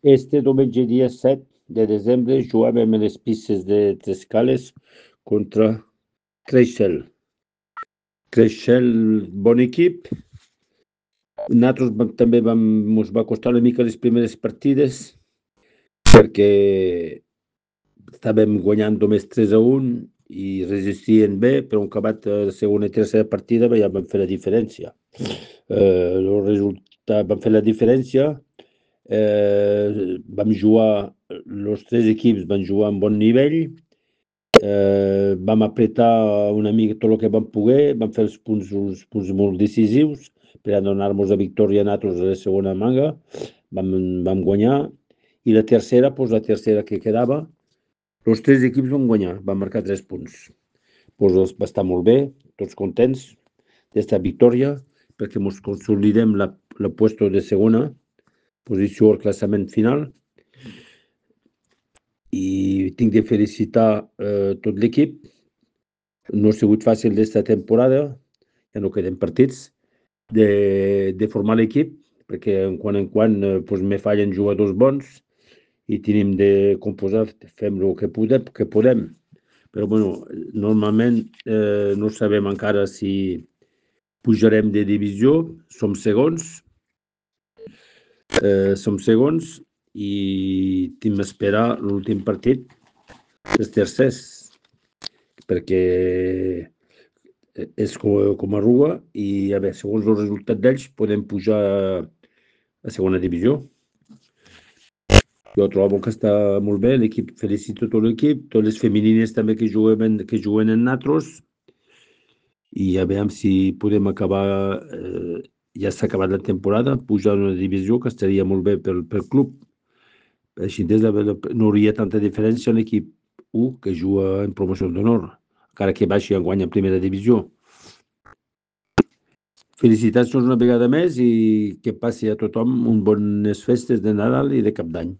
Este diumenge dia 7 de desembre jugàvem a les pistes de Trescales contra Creixell. Creixell, bon equip. Nosaltres també ens va costar una mica les primeres partides perquè estàvem guanyant només 3-1 i resistien bé, però un acabat la segona i tercera partida ja vam fer la diferència. El resultat, vam fer la diferència, vam jugar, els tres equips van jugar a bon nivell, vam apretar una mica tot el que vam poder, vam fer els punts molt decisius per a donar-nos la victòria a nosaltres a la segona manga, vam guanyar, i la tercera que quedava, els tres equips van guanyar, van marcar 3 punts. Va estar molt bé, tots contents d'esta victòria, perquè ens consolidem la puesto de segona posició al classament final. I tinc de felicitar tot l'equip. No ha sigut fàcil d'esta temporada, ja no queden partits, de formar l'equip, perquè en quan me fallen jugadors bons i tenim de composar, fem el que podem. Però bueno, normalment no sabem encara si pujarem de divisió, som segons i hem d'esperar l'últim partit dels tercers, perquè és com a Rua i a veure, segons el resultat d'ells podem pujar a segona divisió. Jo trobo que està molt bé l'equip, felicito tot l'equip, totes les femenines també que juguen en nosaltres, i a veure si podem acabar, ja s'ha acabat la temporada, pujar a una divisió que estaria molt bé pel club. Així no hauria tanta diferència en l'equip 1 que juga en promoció d'honor, encara que baixi enguany en primera divisió. Felicitacions una vegada més i que passi a tothom bones festes de Nadal i de Cap d'Any.